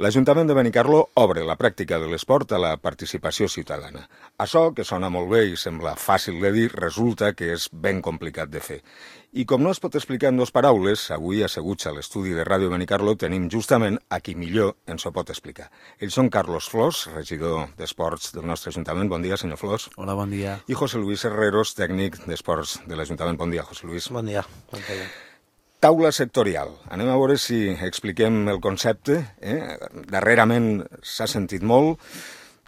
L'Ajuntament de Benicarló obre la pràctica de l'esport a la participació ciutadana. Això, que sona molt bé i sembla fàcil de dir, resulta que és ben complicat de fer. I com no es pot explicar en dues paraules, avui asseguts a l'estudi de Ràdio Benicarló tenim justament a qui millor ens ho pot explicar. Ells són Carlos Flors, regidor d'Esports del nostre Ajuntament. Bon dia, senyor Flors. Hola, bon dia. I José Luis Herreros, tècnic d'Esports de l'Ajuntament. Bon dia, José Luis. Bon dia. Bon dia. Taula sectorial. Anem a veure si expliquem el concepte. Darrerament s'ha sentit molt.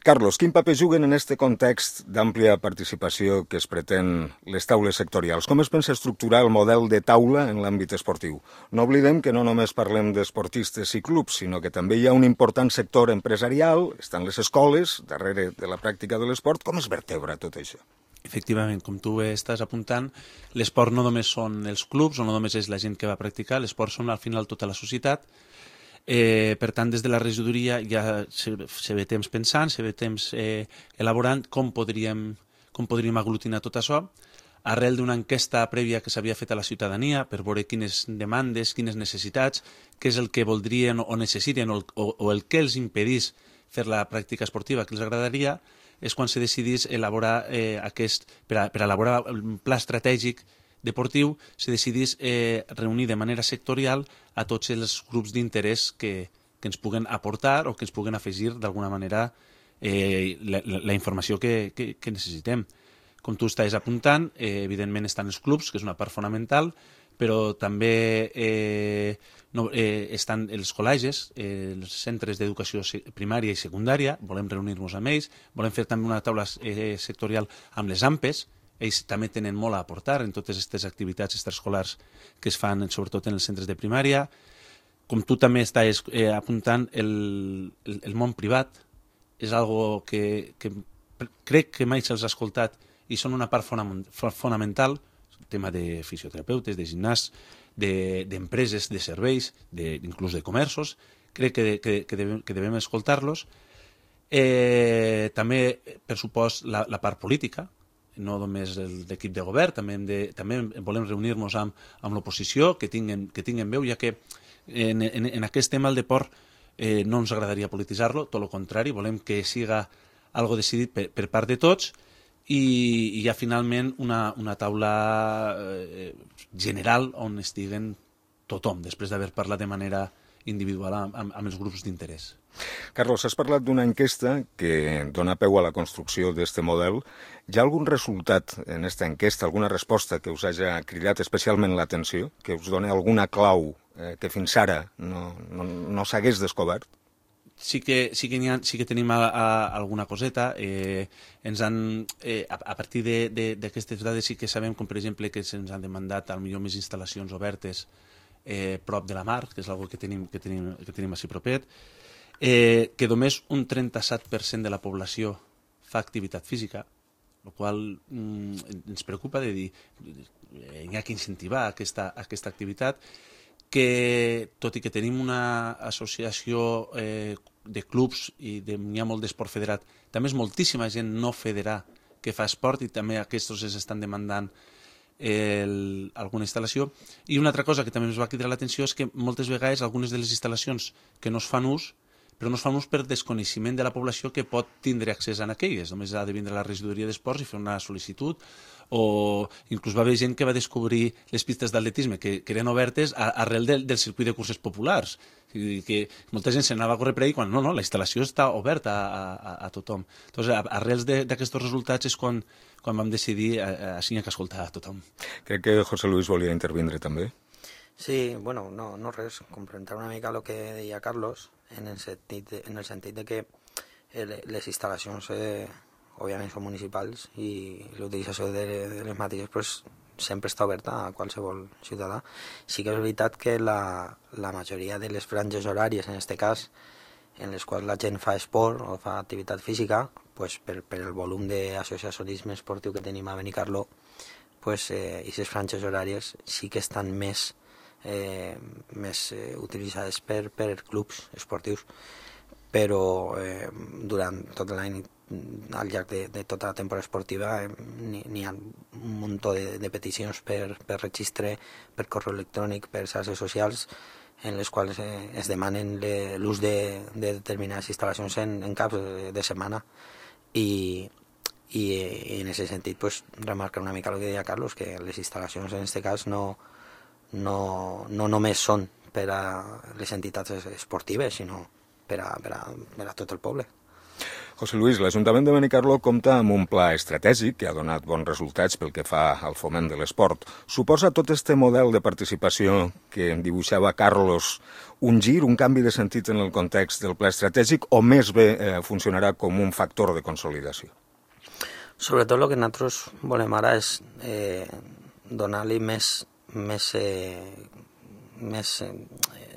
Carlos, quin paper juguen en aquest context d'àmplia participació que es pretén les taules sectorials? Com es pensa estructurar el model de taula en l'àmbit esportiu? No oblidem que no només parlem d'esportistes i clubs, sinó que també hi ha un important sector empresarial, estan les escoles, darrere de la pràctica de l'esport. Com es vertebra tot això? Efectivament, com tu estàs apuntant, l'esport no només són els clubs o no només és la gent que va practicar, l'esport són al final tota la societat. Per tant, des de la regidoria ja se ve temps pensant, se ve temps elaborant com podríem aglutinar tot això, arrel d'una enquesta prèvia que s'havia fet a la ciutadania per veure quines demandes, quines necessitats, què és el que voldrien o necessiten o el que els impedís fer la pràctica esportiva que els agradaria, és quan se decidís elaborar per elaborar un pla estratègic deportiu, se decidís reunir de manera sectorial a tots els grups d'interès que ens puguen aportar o que ens puguen afegir d'alguna manera la informació que necessitem. Com tu estàs apuntant, evidentment estan els clubs, que és una part fonamental, però també estan els col·legis, els centres d'educació primària i secundària, volem reunir-nos amb ells, volem fer també una taula sectorial amb les AMPEs, ells també tenen molt a aportar en totes aquestes activitats extraescolars que es fan sobretot en els centres de primària. Com tu també estàs apuntant, el món privat és algo que crec que mai se'ls ha escoltat i són una part fonamental, el tema de fisioterapeutes, de gimnasts, d'empreses, de serveis, inclús de comerços. Crec que devem escoltar-los. També, per supost, la part política, no només l'equip de govern, també volem reunir-nos amb l'oposició, que tinguen veu, ja que en aquest tema el deport no ens agradaria polititzar-lo, tot el contrari, volem que siga algo decidit per part de tots, i hi ha finalment una taula general on estiguen tothom, després d'haver parlat de manera individual amb els grups d'interès. Carlos, has parlat d'una enquesta que dona peu a la construcció d'aquest model. Hi ha algun resultat en aquesta enquesta, alguna resposta que us hagi cridat especialment l'atenció, que us doni alguna clau que fins ara no s'hagués descobert? Sí que tenim alguna coseta. A partir d'aquestes dades sí que sabem, com per exemple, que se'ns han demandat al millor més instal·lacions obertes prop de la mar, que és una cosa que tenim així propet, que només un 37% de la població fa activitat física, el qual ens preocupa de dir hi ha que incentivar aquesta activitat, que tot i que tenim una associació de clubs i n'hi ha molt d'esport federat, també és moltíssima gent no federada que fa esport i també aquests es estan demandant alguna instal·lació. I una altra cosa que també ens va cridar l'atenció és que moltes vegades algunes de les instal·lacions que no es fan ús, però no es fan ús per desconeixement de la població que pot tindre accés a aquelles. Només ha de vindre a la regidoria d'esports i fer una sol·licitud, o inclús va haver gent que va descobrir les pistes d'atletisme que eren obertes arrel del circuit de curses populars. Que molta gent s'anava a córrer per ahí quan no, la instal·lació està oberta a tothom. Entonces, arrels d'aquests resultats és quan vam decidir així que escoltar a tothom. Crec que José Luis volia intervindre també. Sí, bueno, no res, complementar una mica el que deia Carlos, en el sentit de que les instal·lacions òbviament són municipals i l'utilització de les mateixes pues, sempre està oberta a qualsevol ciutadà. Sí que és veritat que la majoria de les franges horàries, en aquest cas, en les quals la gent fa esport o fa activitat física, pues, per el volum d'associacionisme esportiu que tenim a Benicarló, pues, aquestes franges horàries sí que estan més utilitzades per clubs esportius, però durant tot l'any, al llarg de tota la temporada esportiva, n'hi ha un munt de peticions per registre, per correu electrònic, per xarxes socials, en les quals es demanen l'ús de determinades instal·lacions en caps de setmana i en aquest sentit pues, remarcar una mica el que deia Carlos, que les instal·lacions en aquest cas no només són per a les entitats esportives, sinó per a tot el poble. José Luis, l'Ajuntament de Benicarló compta amb un pla estratègic que ha donat bons resultats pel que fa al foment de l'esport. Suposa tot este model de participació que dibuixava Carlos un gir, un canvi de sentit en el context del pla estratègic o més bé funcionarà com un factor de consolidació? Sobretot el que nosaltres volem ara és donar-li més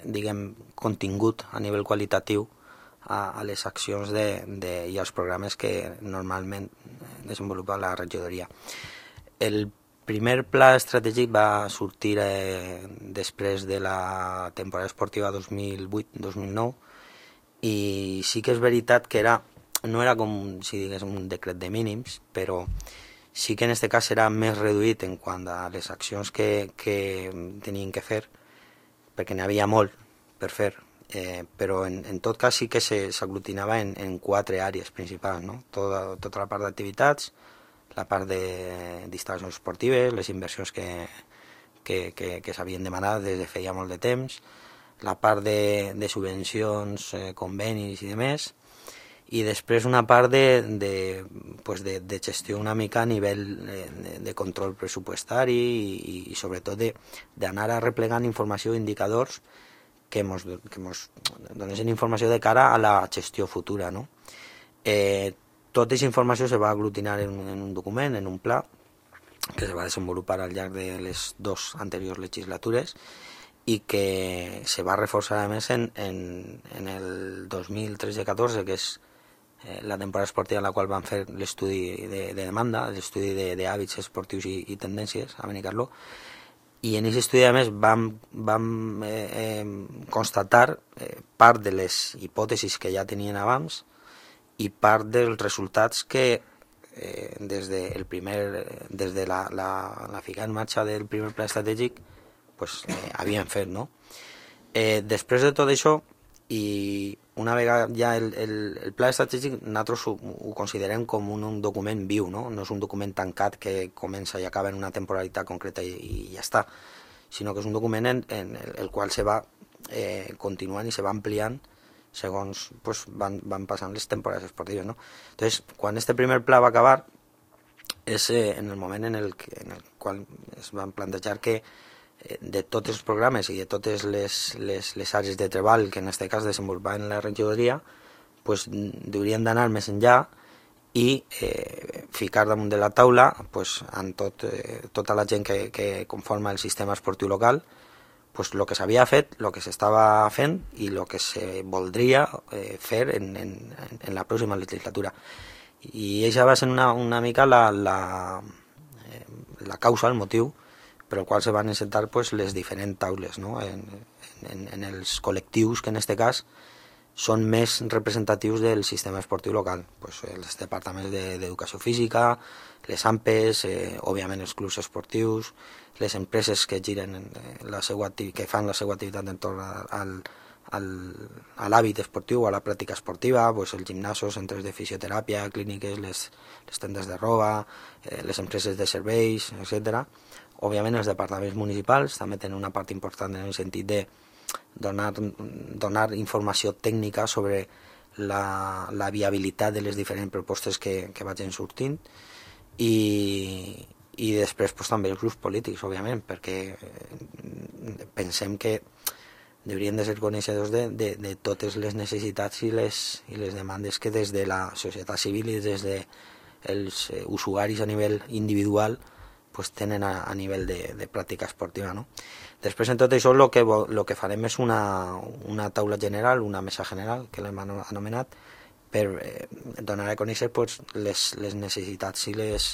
diguem, contingut a nivell qualitatiu a les accions i als programes que normalment desenvolupa la regidoria. El primer pla estratègic va sortir després de la temporada esportiva 2008-2009 i sí que és veritat que no era com si digués un decret de mínims, però sí que en aquest cas era més reduït en quant a les accions que tenien que fer, perquè n'hi havia molt per fer, però en tot cas sí que s'aglutinava en 4 àrees principals, no? Tota la part d'activitats, la part d'instal·lacions esportives, les inversions que s'havien demanat des de feia molt de temps, la part de subvencions, convenis i demés, i després una part de gestió una mica a nivell de control pressupostari i sobretot d'anar arreplegant informació i indicadors que mos donessin informació de cara a la gestió futura, no? Tota aquesta informació se va aglutinar en un document, en un pla, que se va desenvolupar al llarg de les 2 anteriors legislatures i que se va reforçar a més en el 2013-14, que és la temporada esportiva en la qual van fer l'estudi de demanda, l'estudi d'hàbits esportius i tendències a Benicarló, i en aquest estudi a més vam constatar part de les hipòtesis que ja tenien abans i part dels resultats que des de la ficada en marxa del primer pla estratègic pues, havien fet, no? Després de tot això, i una vegada ja el pla estratègic nosaltres ho considerem com un document viu, no? No és un document tancat que comença i acaba en una temporalitat concreta i ja està, sinó que és un document en el qual se va continuant i se va ampliant segons pues, van passant les temporades esportives, no? Entonces, quan este primer pla va acabar és en el moment en el qual es van plantejar que de tots els programes i de totes les àrees de treball que en aquest cas desenvolupaven la regidoria pues, haurien d'anar més enllà i ficar damunt de la taula pues, amb tota la gent que conforma el sistema esportiu local pues, el que s'havia fet, el que s'estava fent i el que se voldria fer en la pròxima legislatura. I això va ser una mica la causa, el motiu per el qual se van encetar pues, les diferents taules, no? en els col·lectius que en aquest cas són més representatius del sistema esportiu local, pues, els departaments d'educació física, les AMPEs, òbviament els clubs esportius, les empreses que giren que fan la seva activitat entorn a l'hàbit esportiu o a la pràctica esportiva, pues, els gimnasos, centres de fisioteràpia, clíniques, les tendes de roba, les empreses de serveis, etc. Òbviament els departaments municipals també tenen una part important en el sentit de donar informació tècnica sobre la viabilitat de les diferents propostes que vagin sortint i després pues, també els grups polítics, òbviament, perquè pensem que haurien de ser coneixedors de totes les necessitats i les demandes que des de la societat civil i des dels usuaris a nivell individual pues, tenen a nivell de pràctica esportiva. No? Després, en tot això, el que farem és una taula general, una mesa general, que l'hem anomenat, per donar a conèixer pues, les necessitats i les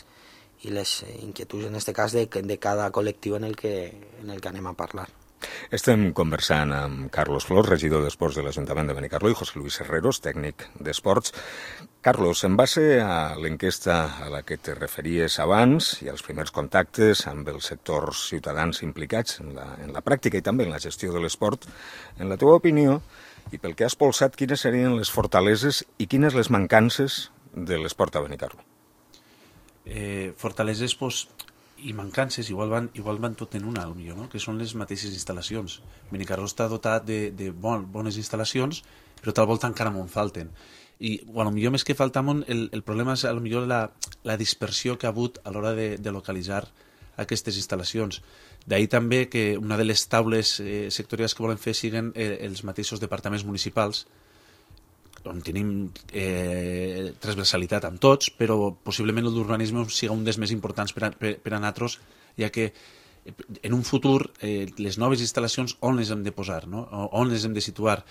inquietuds, en aquest cas, de cada col·lectiu en el que anem a parlar. Estem conversant amb Carlos Flors, regidor d'Esports de l'Ajuntament de Benicarló, i José Luis Herreros, tècnic d'Esports. Carlos, en base a l'enquesta a la que te referies abans i als primers contactes amb els sectors ciutadans implicats en la pràctica i també en la gestió de l'esport, en la teva opinió, i pel que has polsat, quines serien les fortaleses i quines les mancances de l'esport a Benicarló? Fortaleses i mancances igual van tot en una, potser, no? Que són les mateixes instal·lacions. Benicarló està dotat de bones instal·lacions, però tal volta encara m'en falten. I potser més que falta el problema és potser la dispersió que ha hagut a l'hora de localitzar aquestes instal·lacions. D'ahir també que una de les taules sectorials que volen fer siguin els mateixos departaments municipals, on tenim transversalitat amb tots, però possiblement el d'urbanisme sigui un dels més importants per a nosaltres, ja que en un futur les noves instal·lacions on les hem de posar, no? On les hem de situar.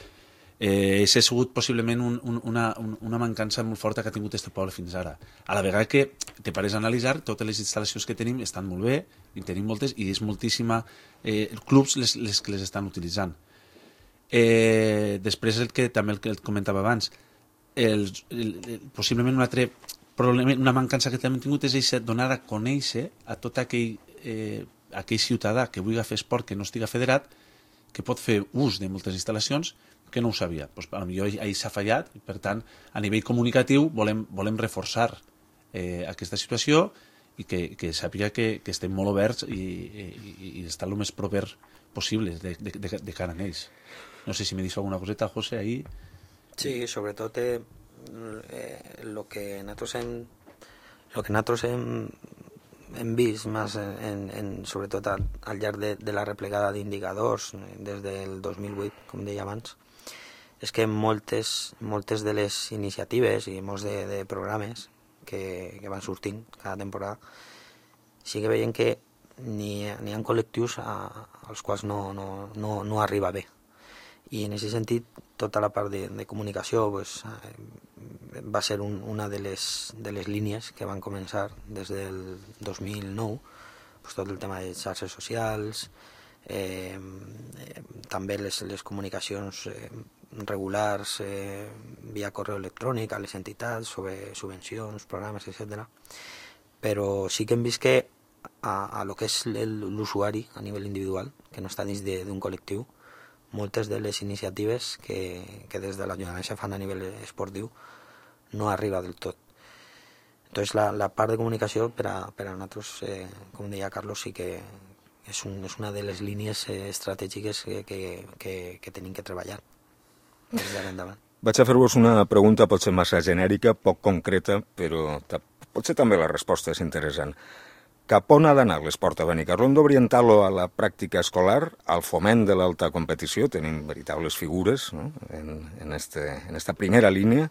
És sigut possiblement una mancança molt forta que ha tingut aquest poble fins ara. A la vegada que te pares a analitzar, totes les instal·lacions que tenim estan molt bé, i tenim moltes, i és moltíssima clubs les que les estan utilitzant. Després també el que comentava abans, possiblement un altre problema, una mancança que també hem tingut és donar a conèixer a tot aquell ciutadà que vulgui fer esport, que no estiga federat, que pot fer ús de moltes instal·lacions, que no ho sabia. Potser ahir s'ha fallat, i per tant a nivell comunicatiu volem reforçar aquesta situació i que sàpiga que estem molt oberts i estar el més proper possible de cara a ells. No sé si me dius alguna coseta, José, ahí. Sí, sobretot lo que nosaltres hem vist més sobretot al llarg de la replegada d'indicadors des del 2008, com deia abans, és que moltes de les iniciatives i molts de programes que van sortint cada temporada sí que veiem que n'hi ha col·lectius als quals no arriba bé. I en aquest sentit, tota la part de comunicació va ser una de les línies que van començar des del 2009, tot el tema de xarxes socials, també les comunicacions regulars via correu electrònic a les entitats sobre subvencions, programes, etc. Però sí que hem vist que a lo que és l'usuari a nivell individual, que no està dins d'un col·lectiu, moltes de les iniciatives que des de l'Ajuntament se fan a nivell esportiu no arriba del tot. Entonces la part de comunicació per a nosaltres, com deia Carlos, sí que és una de les línies estratègiques que tenim que treballar des d'ara endavant. Vaig a fer-vos una pregunta potser massa genèrica, poc concreta, però potser també la resposta és interessant. Cap on ha d'anar l'esport a Benicarló? Hem d'orientar-lo a la pràctica escolar, al foment de l'alta competició, tenim veritables figures, no? en esta primera línia,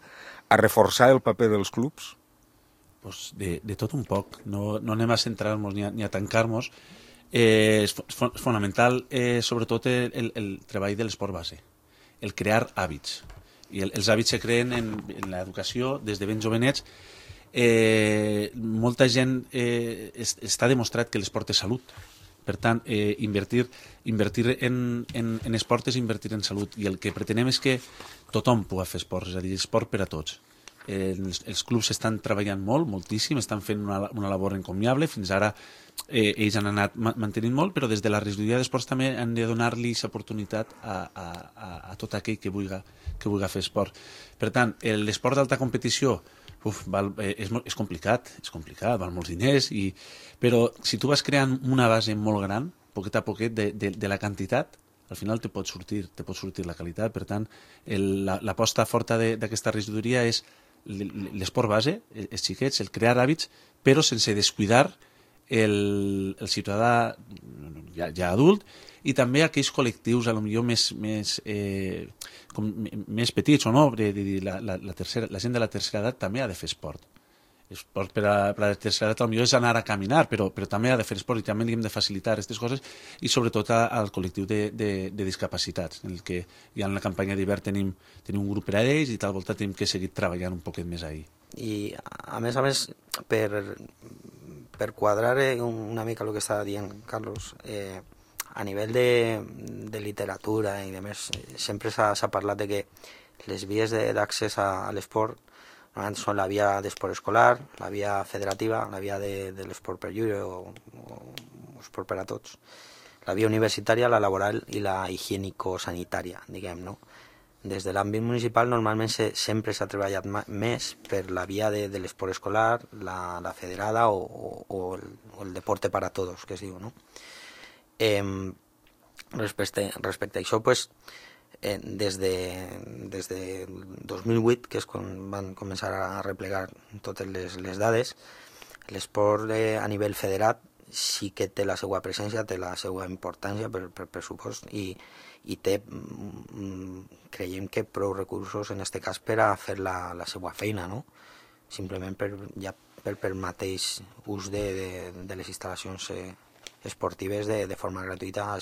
a reforçar el paper dels clubs? Pues de tot un poc, no anem a centrar-nos ni a tancar-nos. És fonamental, sobretot, el treball de l'esport base, el crear hàbits. I els hàbits se creen en l'educació des de ben jovenets. Molta gent està demostrat que l'esport és salut, per tant invertir en esport és invertir en salut, i el que pretenem és que tothom pugui fer esport, és a dir, esport per a tots. Els clubs estan treballant moltíssim, estan fent una labor encomiable, fins ara ells han anat mantenint molt, però des de la regidoria d'esports també han de donar-li l'oportunitat a tot aquell que vulgui fer esport. Per tant, l'esport d'alta competició és complicat, val molts diners, però si tu vas creant una base molt gran, poquet a poquet, de la quantitat, al final te pot sortir la qualitat. Per tant, l'aposta forta d'aquesta regidoria és l'esport base, els xiquets, el crear hàbits, però sense descuidar el ciutadà ja adult, i també aquells col·lectius potser més petits o no, la gent de la tercera edat també ha de fer esport. Esport per a la tercera edat potser és anar a caminar, però també ha de fer esport, i també li hem de facilitar aquestes coses, i sobretot al col·lectiu de discapacitats, en el que ja en la campanya d'hivern tenim un grup per a ells, i tal volta tenim que seguir treballant un poquet més ahir. I a més, per quadrar una mica el que estava dient Carlos, a nivell de literatura i de més, sempre s'ha parlat de que les vies d'accés a l'esport normalment són la via d'esport escolar, la via federativa, la via de l'esport per lliure o esport per a tots, la via universitària, la laboral i la higiènico-sanitària, diguem, no? Des de l'àmbit municipal normalment sempre s'ha treballat més per la via de l'esport escolar, la federada o el deporte para todos, que es diu, no? Respecte a això, pues, des de 2008, que és quan van començar a replegar totes les dades, l'esport a nivell federat sí que té la seva presència, té la seva importància per pressupost i té, creiem que prou recursos en aquest cas per a fer la seva feina, no? Simplement per mateix ús de les instal·lacions esportives de forma gratuïta,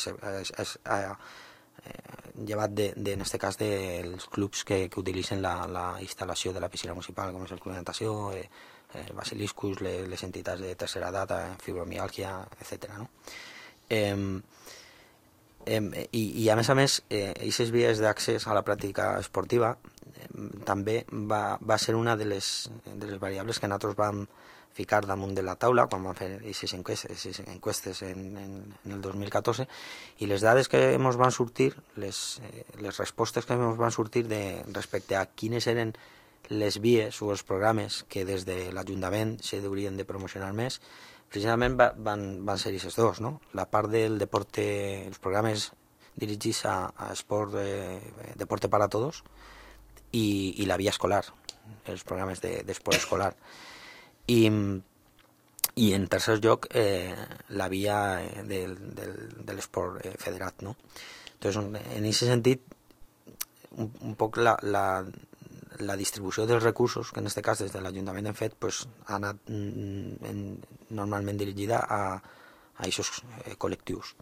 llevat en aquest cas dels clubs que utilitzen la instal·lació de la piscina municipal, com és el Club de Natació, Basiliscus, les entitats de tercera edat, fibromiàlgia, etc. No? I a més, aquestes vies d'accés a la pràctica esportiva també va ser una de les variables que nosaltres vam ficar damunt de la taula quan vam fer aquestes enquestes en el 2014, i les dades que ens van sortir, les respostes que ens van sortir respecte a quines eren les vies o els programes que des de l'Ajuntament s'haurien de promocionar més, precisament van ser aquests dos, no? La part del deporte, els programes dirigits a esport, deporte para todos, i la via escolar, els programes d'esport escolar. I en tercer lloc, la via de l'esport federat, no? Entonces, en aquest sentit, un poc la distribució dels recursos, que en aquest cas des de l'Ajuntament hem fet, pues, ha anat normalment dirigida a aquests col·lectius.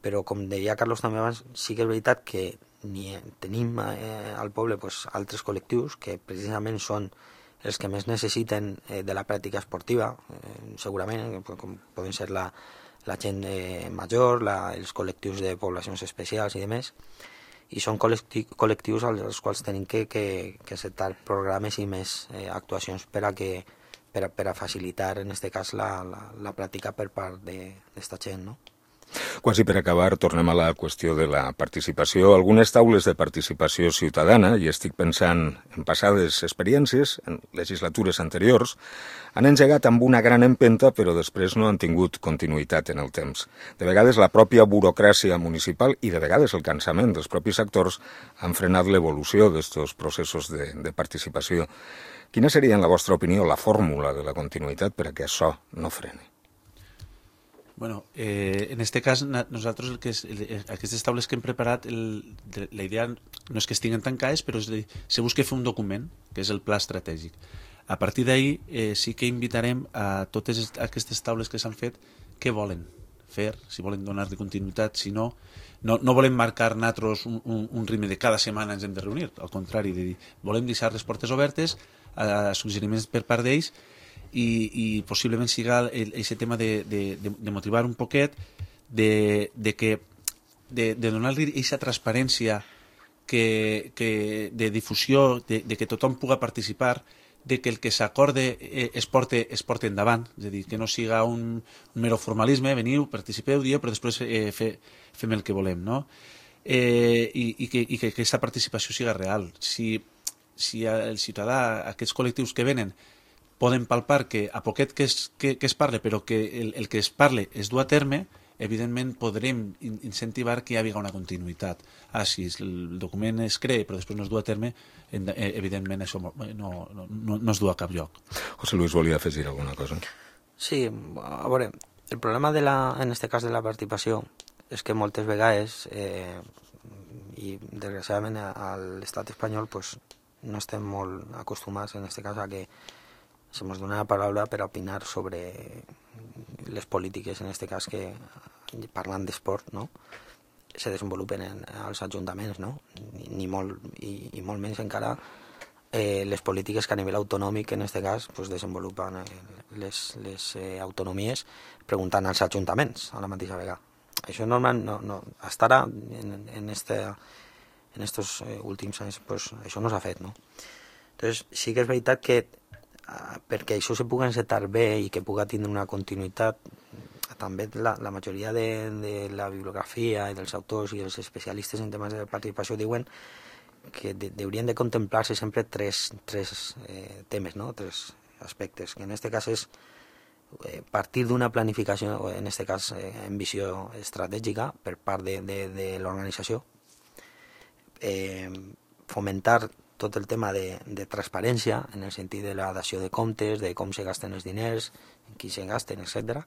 Però, com deia Carlos també abans, sí que és veritat que tenim al poble pues, altres col·lectius que precisament són els que més necessiten de la pràctica esportiva, segurament, com poden ser la gent major, els col·lectius de poblacions especials i demés, i són col·lectius als quals tenim que acceptar programes i més actuacions per a facilitar, en aquest cas, la pràctica per part d'esta gent, no? Quasi per acabar, tornem a la qüestió de la participació. Algunes taules de participació ciutadana, i estic pensant en passades experiències, en legislatures anteriors, han engegat amb una gran empenta, però després no han tingut continuïtat en el temps. De vegades la pròpia burocràcia municipal i de vegades el cansament dels propis actors han frenat l'evolució d'aquests processos de participació. Quina seria, en la vostra opinió, la fórmula de la continuïtat per a que això no freni? Bueno, en este cas, nosaltres aquestes taules que hem preparat, la idea no és que estiguen tancades, però se busca fer un document, que és el pla estratègic. A partir d'ahir sí que invitarem a totes aquestes taules que s'han fet què volen fer, si volen donar-li continuïtat, si no volem marcar nosaltres un ritme de cada setmana ens hem de reunir, al contrari, de dir, volem deixar les portes obertes a suggeriments per part d'ells, i possiblement siga aquest tema de motivar un poquet, de donar-li aquesta transparència de difusió, de que tothom puga participar, de que el que s'acorde es porte endavant, és a dir, que no siga un mero formalisme, veniu, participeu, dieu, però després fem el que volem, no? I que aquesta participació siga real. Si el ciutadà, aquests col·lectius que venen, poden palpar que a poquet que es parle, però que el que es parle es du a terme, evidentment podrem incentivar que hi hagi una continuïtat. Si el document es crea però després no es du a terme, evidentment això no es du a cap lloc. José Luis, volia afegir alguna cosa? Sí, a veure, el problema en aquest cas de la participació és que moltes vegades, i desgraciadament a l'estat espanyol, pues, no estem molt acostumats en aquest cas a que se nos dona la paraula per opinar sobre les polítiques, en aquest cas que, parlant d'esport, no? Se desenvolupen als ajuntaments, no? I molt menys encara les polítiques que a nivell autonòmic, en aquest cas, pues, desenvolupen les autonomies preguntant als ajuntaments a la mateixa vegada. això normal, hasta ara, en estos últims anys, pues, això no s'ha fet, no? Entonces, sí que és veritat que perquè això se pugui encetar bé i que pugui tindre una continuïtat, també la majoria de la bibliografia i dels autors i els especialistes en temes de participació diuen que haurien de contemplar-se sempre tres temes, no? Tres aspectes, que en aquest cas és partir d'una planificació, en aquest cas en visió estratègica per part de l'organització, fomentar tot el tema de transparència en el sentit de la dació de comptes, de com se gasten els diners, qui se gasten, etc.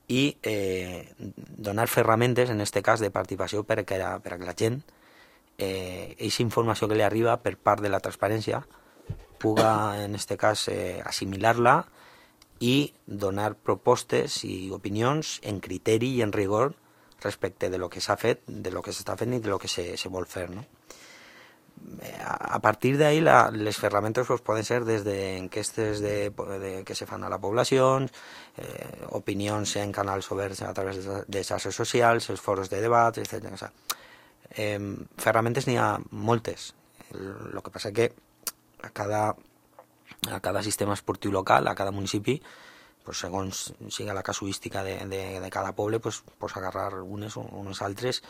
I donar ferramentes, en aquest cas, de participació perquè la gent, aquesta informació que li arriba per part de la transparència, puga, en aquest cas, assimilar-la i donar propostes i opinions en criteri i en rigor respecte de lo que s'ha fet, de lo que s'està fent i de lo que se vol fer, no? A partir d'ahí les ferramentes pues, poden ser des d'enquestes que se fan a la població, opinions en canals oberts a través de xarxes socials, els foros de debat, etc. O sigui, ferramentes n'hi ha moltes. El que passa que a cada sistema esportiu local, a cada municipi, pues, segons siga la casuística de cada poble, pues, agarrar unes o unes altres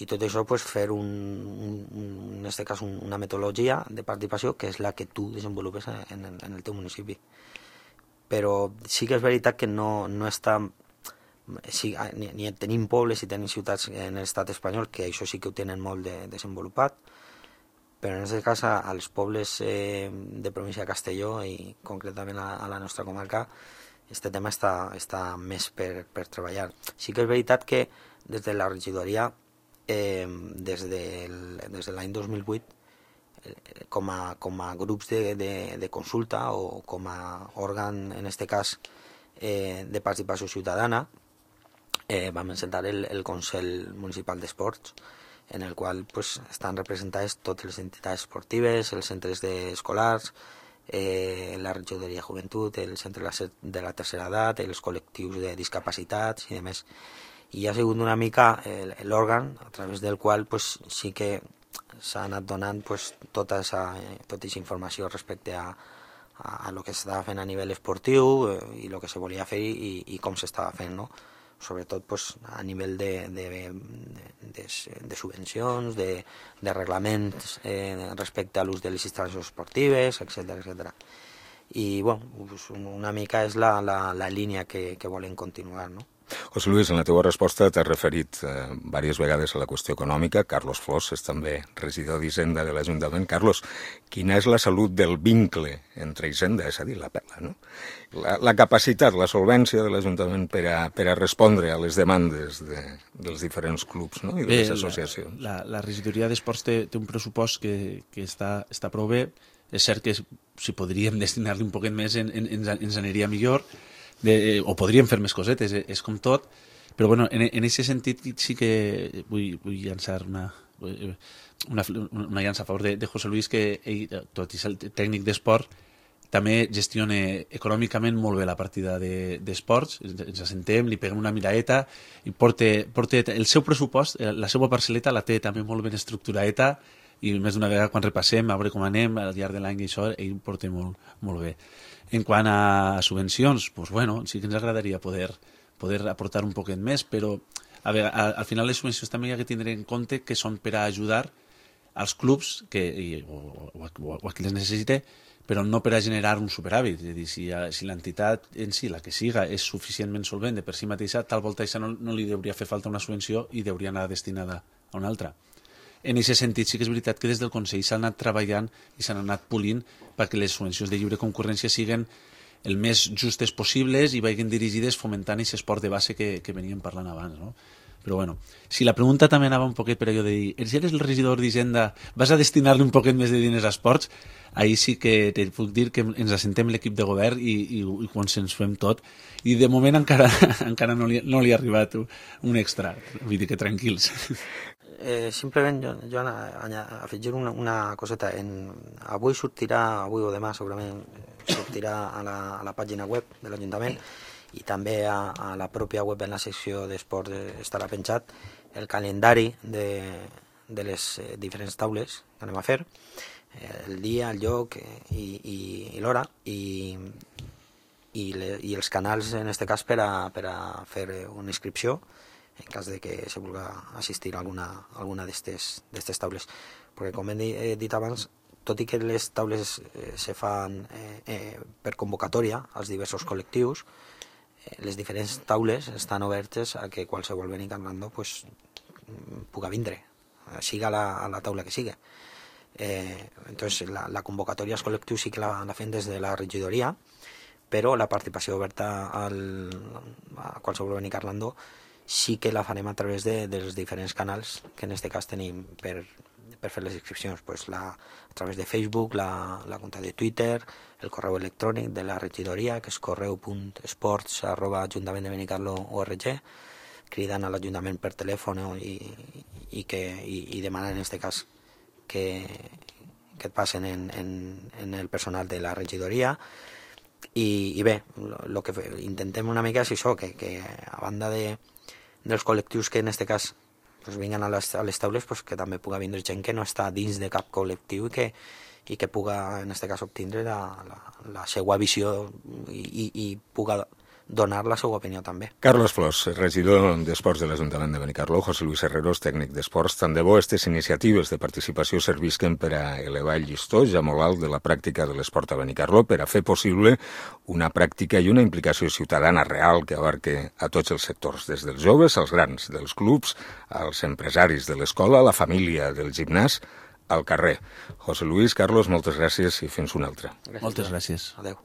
i tot això pues, fer en aquest cas una metodologia de participació que és la que tu desenvolupes en el teu municipi. Però sí que és veritat que no està... Sí, ni tenim pobles i tenim ciutats en l'estat espanyol que això sí que ho tenen molt desenvolupat, però en aquest cas als pobles de província de Castelló i concretament a la nostra comarca aquest tema està més per treballar. Sí que és veritat que des de la regidoria des de l'any 2008 com a grups de consulta o com a òrgan, en aquest cas, de participació ciutadana, vam encetar el Consell Municipal d'Esports, en el qual pues, estan representades totes les entitats esportives, els centres escolars, la regidoria de joventut, el centre de la tercera edat, els col·lectius de discapacitats i demés. I ha sigut una mica l'òrgan a través del qual pues, sí que s'ha anat donant pues, tota aquesta informació respecte a lo que s'estava fent a nivell esportiu i el que se volia fer i com s'estava fent, no? Sobretot pues, a nivell de subvencions, de reglaments respecte a l'ús de les instal·lacions esportives, etc. I bueno, pues, una mica és la línia que volen continuar, no? José Luis, en la teva resposta t'has referit diverses vegades a la qüestió econòmica. Carlos Flors és també regidor d'Hisenda de l'Ajuntament. Carlos, quina és la salut del vincle entre Hisenda, és a dir, la pela, no? La capacitat, la solvència de l'Ajuntament per a respondre a les demandes dels diferents clubs, no? I de les associacions. La regidoria d'Esports té un pressupost que està prou bé. És cert que si podríem destinar-li un poquet més ens aniria millor, o podríem fer més cosetes, és com tot, però bueno, en aquest sentit sí que vull llançar una llança a favor de José Luis, que ell, tot i ser tècnic d'esport, també gestiona econòmicament molt bé la partida d'esports, ens assentem, li peguem una miraeta i porta el seu pressupost, la seva parcel·leta la té també molt ben estructurada i més d'una vegada quan repassem, a veure com anem al llarg de l'any i això, ell porta molt bé. En quant a subvencions, pues bueno, sí que ens agradaria poder aportar un poquet més, però al final les subvencions també hi ha que tindre en compte que són per a ajudar als clubs o a qui les necessite, però no per a generar un superàvit. És a dir, si l'entitat en si, la que siga, és suficientment solvent de per si mateixa, tal volta això no li hauria fer falta una subvenció i hauria anar destinada a una altra. En aquest sentit, sí que és veritat que des del Consell s'ha anat treballant i s'han anat polint perquè les subvencions de lliure concurrència siguin el més justes possibles i vagin dirigides fomentant aquest esport de base que veníem parlant abans, no? Però bueno, si la pregunta també anava un poquet per allò de dir, eres el regidor d'Hisenda, vas a destinar-li un poquet més de diners a esports? Ahir sí que te puc dir que ens assentem l'equip de govern i consensuem tot. I de moment encara no li ha arribat un extra. Vull dir que tranquils. Simplement jo afegir una coseta. Avui o demà segurament sortirà a la pàgina web de l'Ajuntament i també a la pròpia web en la secció d'esports estarà penjat el calendari de les diferents taules que anem a fer, el dia, el lloc i l'hora i els canals en aquest cas per a fer una inscripció en cas de que se vulgui assistir a alguna d'aquestes taules, perquè com he dit abans, tot i que les taules se fan per convocatòria als diversos col·lectius, les diferents taules estan obertes a que qualsevol Benicarló pues, puga vindre, siga la taula que siga. Entonces la convocatòria als col·lectius sí que la fem des de la regidoria, però la participació oberta a qualsevol Benicarló sí que la farem a través dels diferents canals que en aquest cas tenim per fer les inscripcions, pues a través de Facebook, la compte de Twitter, el correu electrònic de la regidoria, que és correu.esports@ajuntament-de-benicarlo.org, cridant a l'Ajuntament per telèfon i demanant en aquest cas que et passen en el personal de la regidoria. I bé, el que intentem una mica és això, que a banda dels col·lectius que en aquest cas pues, vinguen a les taules, pues, que també puga vindre gent que no està dins de cap col·lectiu i que puga en aquest cas obtindre la seva visió i puga donar la seva opinió també. Carlos Flors, regidor d'Esports de l'Ajuntament de Benicarló, José Luis Herreros, tècnic d'Esports. Tant de bo aquestes iniciatives de participació servisquen per a elevar el llistó ja molt alt de la pràctica de l'esport a Benicarló, per a fer possible una pràctica i una implicació ciutadana real que abarque a tots els sectors, des dels joves als grans, dels clubs, als empresaris de l'escola, a la família del gimnàs, al carrer. José Luis, Carlos, moltes gràcies i fins una altra. Moltes gràcies. Adéu.